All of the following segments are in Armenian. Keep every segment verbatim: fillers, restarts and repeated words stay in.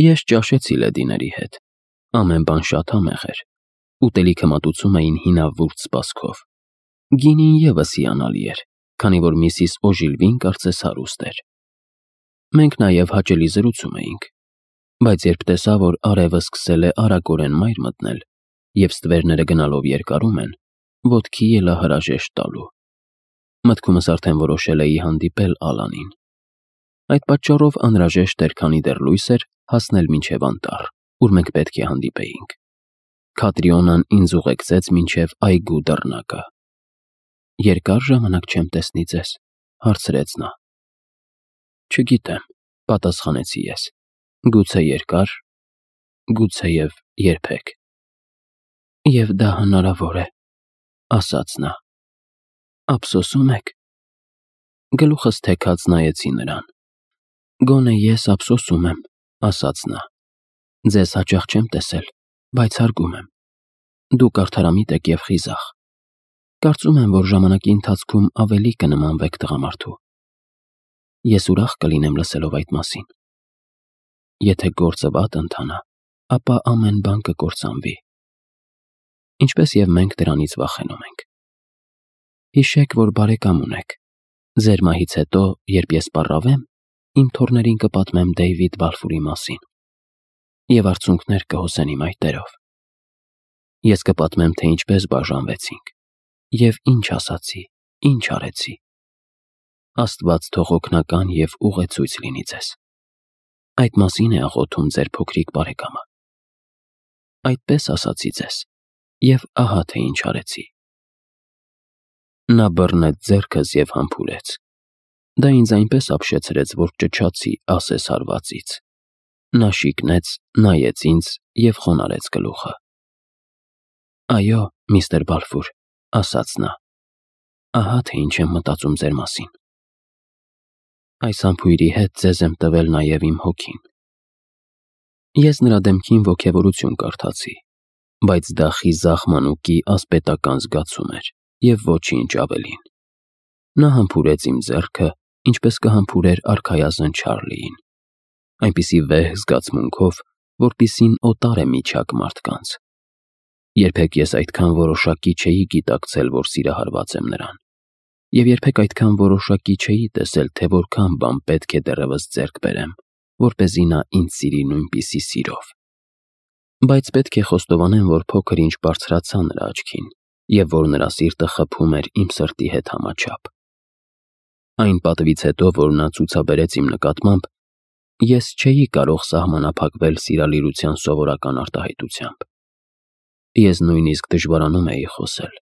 Ես ճաշեցի լեդիների հետ, ամեն բան շատ համեղ էր, ուտելիքը մատուցում էին հինավուրց սպասքով, գինին ևս հիանալի էր, քանի որ միսիս Օժիլվին կարծես հարուստ էր։ Մենք նաև հաճելի զրուցում էինք, բայց երբ տեսա, որ արևը սկսել է արագորեն մայր մտնել և ստվերները գնալով երկարում են, ոտքի ելա հրաժեշտ տալու։ Մտքումս արդեն որոշել էի հանդիպել Ալանին։ Այդ պատճառով անհրաժեշտ էր, քանի դեռ լույս էր, հասնել մինչև անտառ, ուր մենք պետք է հանդիպեինք։ Քատրիոնան ինձ ուղեկցեց մինչև այգու դռնակը։ Երկար ժամանակ չեմ տեսնի ձեզ, հարցրեց նա։ Չգիտեմ, պատասխանեցի ես, գուցե երկար, գուցեև երբեք։ Եվ դա հնարավոր է, ասաց նա։ Ափսոսում եք։ Գլուխս թեքած նայեցի նրան։ Գոնե ես ափսոսում եմ, ասաց նա։ Ձեզ հաճախ չեմ տեսել, բայց հարգում եմ։ Դուք արդարամիտ եք և խիզախ։ Կարծում եմ, որ ժամանակի ընթացքում ավելի կնմանվեք տղամարդու։ Ես ուրախ կլինեմ լսելով այդ մասին։ Եթե գործը վատ ընթանա, ապա ամեն բան կկործանվի։ Ինչպես և մենք դրանից վախենում ենք։ Հիշեք, որ բարեկամ ունեք։ Ձեր մահից հետո, երբ ես պառավեմ, իմ թոռներին կպատմեմ Դեյվիդ Բալֆուրի մասին։ Եվ արցունքներ կհոսեն իմ այտերով։ Ես կպատմեմ, թե ինչպես բաժանվեցինք, և ինչ ասացի, ինչ արեցի։ Աստված թող օգնական և ուղեցույց լինի ձեզ։ Այդ մասին է աղոթում ձեր փոքրիկ բարեկամը։ Այդպես ասացի ձեզ, և ահա թե ինչ արեցի։ Նա բռնեց ձեռքս և համբուրեց։ Դա ինձ այնպես ապշեցրեց, որ ճչացի ասես հարվածից։ Նա շիկնեց, նայեց ինձ և խոնարհեց գլուխը։ Այո, միստր Բալֆուր, ասաց նա, ահա թե ինչ եմ մտածում ձեր մասին։ Այս համբույրի հետ ձեզ եմ տվել նաև իմ հոգին։ Ես նրա դեմքին ոգևորություն կարդացի, բայց դա խիզախ մանուկի ասպետական զգացում էր և ոչինչ ավելին։ Նա համբուրեց իմ ձեռքը, ինչպես կհամբուրեր արքայազն Չարլիին, այնպիսի վեհ զգացմունքով, որպիսին օտար է միջակ մարդկանց։ Երբեք ես այդքան որոշակի չէի գիտակցել, որ սիրահարված եմ նրան, և երբեք այդքան որոշակի չէի տեսել, թե որքան բան պետք է դեռևս ձեռք բերեմ, որպեսզի նա ինձ սիրի նույնպիսի սիրով։ Բայց պետք է խոստովանեմ, որ փոքր-ինչ բարձրացա նրա աչքին, և որ նրա սիրտը խփում էր իմ սրտի հետ համաչափ։ Այն պատվից հետո, որ նա ցուցաբերեց իմ նկատմամբ, ես չէի կարող սահմանափակվել սիրալիրության սովորական արտահայտությամբ։ Ես նույնիսկ դժվարանում էի խոսել։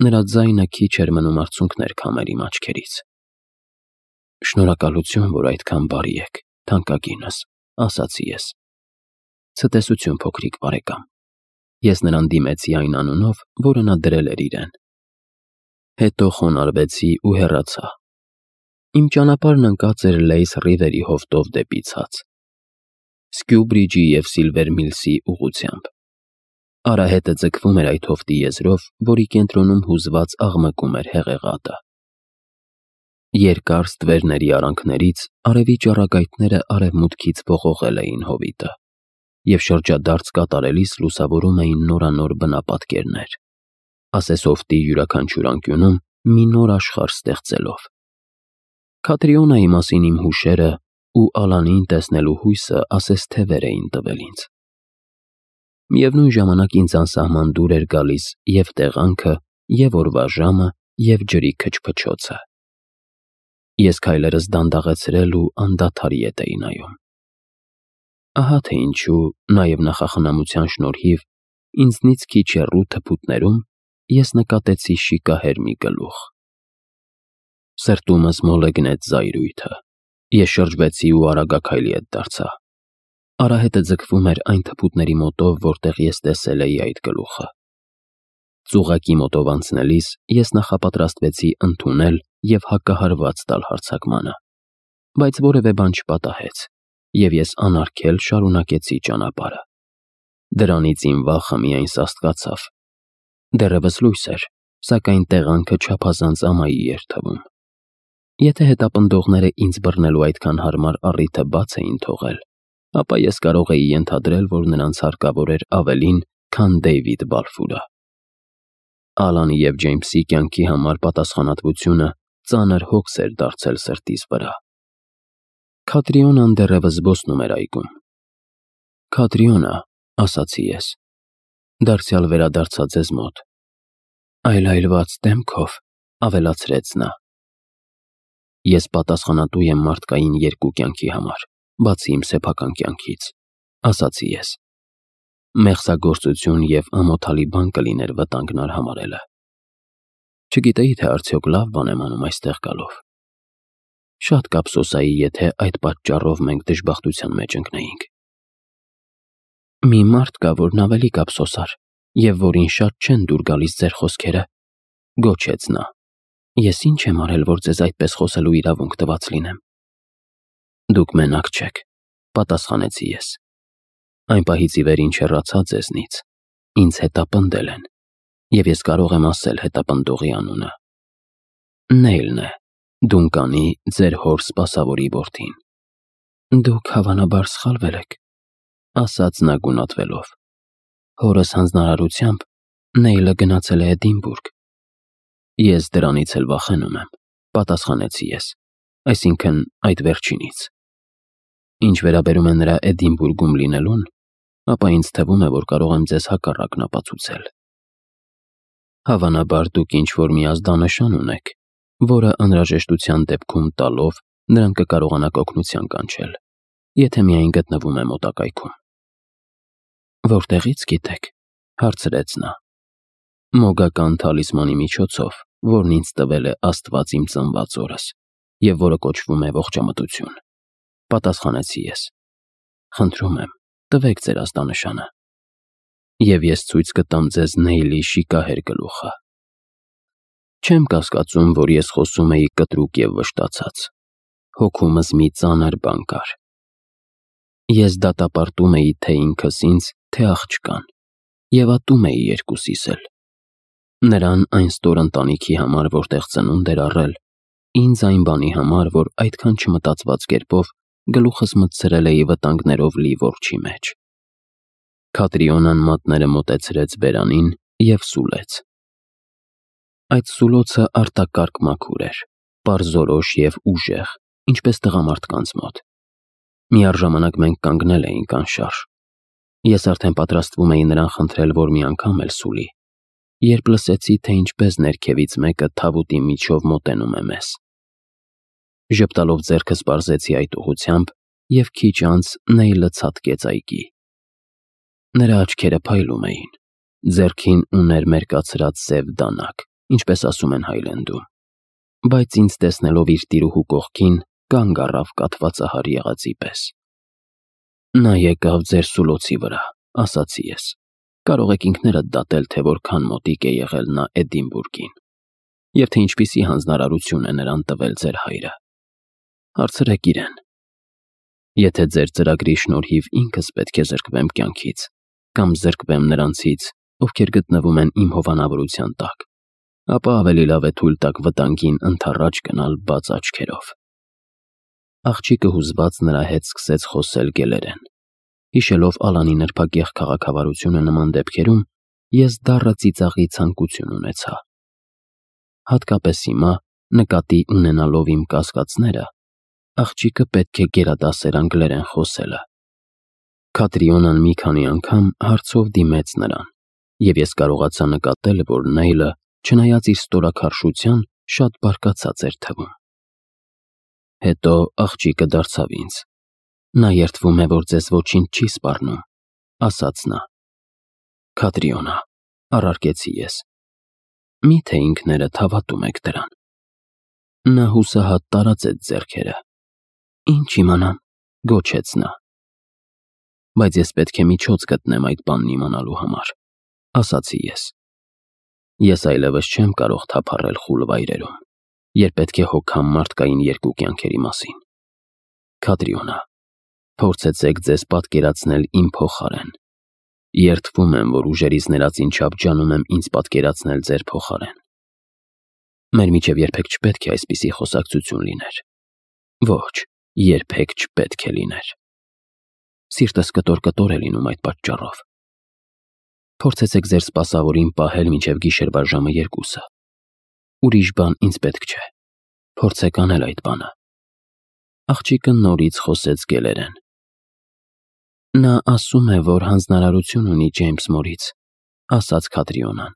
Նրա ձայնը քիչ էր մնում արցունքներ քամեր իմ աչքերից։ Շնորհակալություն, որ այդքան բարի եք, թանկագինս, ասացի ես։ Ցտեսություն, փոքրիկ բարեկամ։ Ես նրան դիմեցի այն անունով, որը նա դրել էր իրեն։ Հետո խոնարհվեցի ու հեռացա։ Իմ ճանապարհն ընկած էր Լեյս Ռիվերի հովտով դեպի ցած, Սկյուբրիջի և Սիլվեր Միլսի ուղղությամբ։ Արահետը ձգվում էր այդ հովտի եզրով, որի կենտրոնում հուզված աղմկում էր հեղեղատը։ Երկար ստվերների արանքներից արևի ճառագայթները արևմուտքից ողողել էին հովիտը, և շրջադարձ կատարելիս լուսավորում էին նորանոր բնապատկերներ, ասես հովտի յուրաքանչյուր անկյունում մի նոր աշխարհ ստեղծելով։ Քատրիոնայի մասին իմ հուշերը ու Ալանին տեսնելու հույսը ասես թևեր էին տվել ինձ։ Միևնույն ժամանակ ինձ անսահման դուր էր գալիս և տեղանքը, և օրվա ժամը, և ջրի քչփչոցը։ Ես քայլերս դանդաղեցրել ու անդադար ետ էի նայում։ Ահա թե ինչու, նաև նախախնամության շնորհիվ, ինձնից քիչ հեռու թփուտներում ես նկատեցի շիկահեր մի գլուխ։ Սրտումս մոլեգնեց զայրույթը։ Ես շրջվեցի ու արագաքայլի ետ դարձա։ Արահետը ձգվում էր այն թփուտների մոտով, որտեղ ես տեսել էի այդ գլուխը։ Ծուղակի մոտով անցնելիս ես նախապատրաստվեցի ընդունել և հակահարված տալ հարձակմանը, բայց որևէ բան չպատահեց, և ես անարգել շարունակեցի ճանապարհը։ Դրանից իմ վախը միայն սաստկացավ։ Դեռևս լույս էր, սակայն տեղանքը չափազանց ամայի էր թվում։ Եթե հետապնդողները ինձ բռնելու այդքան հարմար առիթը բաց էին թողել, ապա ես կարող էի ենթադրել, որ նրանց հարկավոր էր ավելին, քան Դեյվիդ Բալֆուրը։ Ալանի և Ջեյմսի կյանքի համար պատասխանատվությունը ծանր հոգս էր դարձել սրտիս վրա։ Քատրիոնան դեռևս զբոսնում էր այգում։ «Քատրիոնա», ասացի ես, դարձյալ վերադարձա ձեզ մոտ։ Այլայլված դեմքով ավելացրեց նա։ Ես պատասխանատու եմ մարդկային երկու կյանքի համար, բացի իմ սեփական կյանքից, ասացի ես։ Մեղսագործություն և ամոթալի բան կլիներ վտանգն արհամարհելը։ Չգիտեի, թե արդյոք լավ բան եմ անում այստեղ գալով։ Շատ կափսոսայի, եթե այդ պատճառով մենք դժբախտության մեջ ընկնեինք։ Մի մարդ կա, որն ավելի կափսոսար, և որին շատ չեն դուր գալիս ձեր խոսքերը, գոչեց նա։ Ես ինչ եմ արել, որ ձեզ այդպես խոսելու իրավունք տված լինեմ։ Դուք մենակ չեք, պատասխանեցի ես։ Այն պահից ի վեր ինչ հեռացա ձեզնից, ինձ հետապնդել են, և ես կարող եմ ասել հետապնդողի անունը։ Նեյլն է, Դունկանի, ձեր հոր սպասավորի որդին։ Դուք հավանաբար սխալվել եք, ասաց նա գունատվելով։ Հորս հանձնարարությամբ Նեյլը գնացել է Էդինբուրգ։ Ես դրանից էլ վախենում եմ, պատասխանեցի ես, այսինքն այդ վերջինից։ Ինչ վերաբերում է նրա Էդինբուրգում լինելուն, ապա ինձ թվում է, որ կարող եմ ձեզ հակառակն ապացուցել։ Հավանաբար դուք ինչ-որ մի ազդանշան ունեք, որը անհրաժեշտության դեպքում տալով նրան կկարողանաք օգնության կանչել, եթե միայն գտնվում է մոտակայքում։ Որտեղից գիտեք, հարցրեց նա։ Մոգական թալիսմանի միջոցով, որն ինձ տվել է Աստված իմ ծնված օրս, և որը կոչվում է ողջամտություն, պատասխանեցի ես։ Խնդրում եմ, տվեք ձեր ազդանշանը, և ես ցույց կտամ ձեզ Նեյլի շիկահեր գլուխը։ Չեմ կասկածում, որ ես խոսում էի կտրուկ և վշտացած։ Հոգումս մի ծանր բան կար։ Ես դատապարտում էի թե ինքս ինձ, թե աղջկան, և ատում էի երկուսիս էլ։ Նրան այն ստոր ընտանիքի համար, որտեղ ծնունդ էր առել, ինձ այն բանի համար, որ այդքան չմտածված կերպով գլուխս մտցրել էի վտանգներով լի որջի մեջ։ Քատրիոնան մատները մոտեցրեց բերանին և սուլեց։ Այդ սուլոցը արտակարգ մաքուր էր, պարզորոշ և ուժեղ, ինչպես տղամարդկանց մոտ։ Միառժամանակ մենք կանգնել էինք անշարժ։ Ես արդեն պատրաստվում էի նրան խնդրել, որ մի անգամ էլ սուլի, երբ լսեցի, թե ինչպես ներքևից մեկը թավուտի միջով մոտենում է մեզ։ Ժպտալով ձեռքս պարզեցի այդ ուղղությամբ, և քիչ անց Նեյլը ցատկեց այգի։ Նրա աչքերը փայլում էին, ձեռքին ուներ մերկացրած սև դանակ, ինչպես ասում են Հայլենդում, բայց ինձ տեսնելով իր տիրուհու կողքին, կանգ առավ կաթվածահար եղածի պես։ Նա եկավ ձեր սուլոցի վրա, ասացի ես։ Կարող եք ինքներդ դատել, թե որքան մոտիկ է եղել նա Էդինբուրգին, և թե ինչպիսի հանձնարարություն է նրան տվել ձեր հայրը։ Հարցրեք իրեն։ Եթե ձեր ծրագրի շնորհիվ ինքս պետք է զրկվեմ կյանքից, կամ զրկվեմ նրանցից, ովքեր գտնվում են իմ հովանավորության տակ, ապա ավելի լավ է թույլ տաք վտանգին ընդառաջ գնալ բաց աչքերով։ Աղջիկը հուզված նրա հետ սկսեց խոսել գելերեն։ Հիշելով Ալանի նրբագեղ քաղաքավարությունը նման դեպքերում, ես դառը ծիծաղի ցանկություն ունեցա։ Հատկապես հիմա, նկատի ունենալով իմ կասկածները, աղջիկը պետք է գերադասեր անգլերեն խոսելը։ Քատրիոնան մի քանի անգամ հարցով դիմեց նրան, և ես կարողացա նկատել, որ Նեյլը, չնայած իր ստորաքարշության, շատ բարկացած էր թվում։ Հետո աղջիկը դարձավ ինձ։ Նա երդվում է, որ ձեզ ոչինչ չի սպառնում, ասաց նա։ Քատրիոնա, առարկեցի ես, մի՞թե ինքներդ հավատում եք դրան։ Նա հուսահատ տարածեց ձեռքերը։ Ինչ իմանամ, գոչեց նա։ Բայց ես պետք է միջոց գտնեմ այդ բանն իմանալու համար, ասացի ես։ Ես այլևս չեմ կարող թափառել խուլ վայրերում, երբ պետք է հոգամ մարդկային երկու կյանքերի մասին։ Քատրիոնա, փորձեցեք ձեզ պատկերացնել իմ փոխարեն։ Երդվում եմ, որ ուժերից ներածին չափ ջանում եմ ինձ պատկերացնել ձեր փոխարեն։ Մեր միջև երբեք չպետք է այսպիսի խոսակցություն լիներ։ Ոչ, երբեք չպետք է լիներ։ Սիրտս կտոր-կտոր է լինում այդ պատճառով։ Փորձեցեք ձեր սպասավորին պահել մինչև գիշերվա ժամը երկուսը։ Ուրիշ բան ինձ պետք չէ։ Փորձեք անել այդ բանը։ Աղջիկը նորից խոսեց գելերեն։ Նա ասում է, որ հանձնարարություն ունի Ջեյմս մորից, ասաց Քատրիոնան։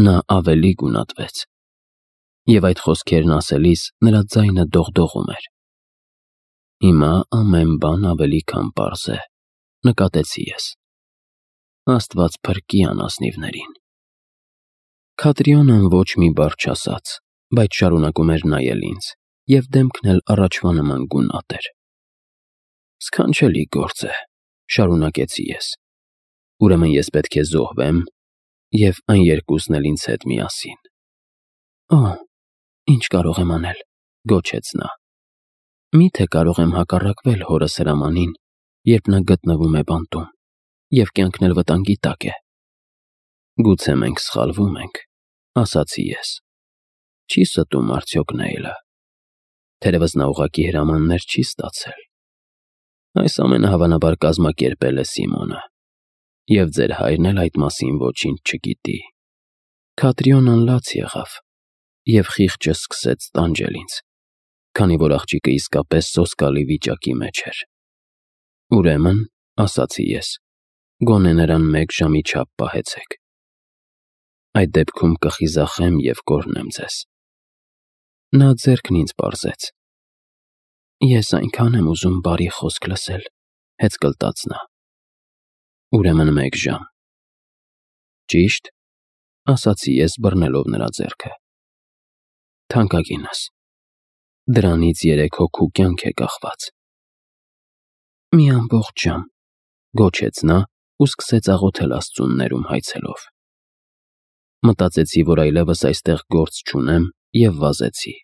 Նա ավելի գունատվեց։ Եվ այդ խոսքերն ասելիս նրա ձայնը դողդողում էր։ Հիմա ամեն բան ավելի քան պարզ է, նկատեցի ես։ Աստված փրկի անազնիվներին։ Քատրիոնան ոչ մի բառ չասաց, բայց շարունակում էր նայել ինձ, և դեմքն էլ առաջվա նման գունատ էր։ Սքանչելի գործ է, շարունակեցի ես։ Ուրեմն ես պետք է զոհվեմ, և այն երկուսն էլ ինձ հետ միասին։ Օ, ինչ կարող եմ անել, գոչեց նա։ Միթե կարող եմ հակառակվել հորս հրամանին, երբ նա գտնվում է բանտում, և կյանքն էլ վտանգի տակ է։ Գուցե մենք սխալվում ենք, ասացի ես։ Չի ստում արդյոք Նեյլը։ Թերևս նա ուղղակի հրամաններ չի ստացել։ Այս ամենը հավանաբար կազմակերպել է Սիմոնը, և ձեր հայրն էլ այդ մասին ոչինչ չգիտի։ Քատրիոնան լաց եղավ, և խիղճը սկսեց տանջել ինձ, քանի որ աղջիկը իսկապես սոսկալի վիճակի մեջ էր։ Ուրեմն, ասացի ես, գոնե նրան մեկ ժամի չափ պահեցեք։ Այդ դեպքում կխիզախեմ և կօրհնեմ ձեզ։ Նա ձեռքն ինձ պարզեց։ Ես այնքան եմ ուզում բարի խոսք լսել, հեծկլտաց նա։ Ուրեմն մեկ ժամ։ Ճիշտ, ասացի ես, բռնելով նրա ձեռքը։ Թանկագինս, դրանից երեք հոգու կյանք է կախված։ Մի ամբողջ ժամ, գոչեց նա ու սկսեց աղոթել Աստծուն ներում հայցելով։ Մտածեցի, որ այլևս այստեղ գործ չունեմ, և վազեցի։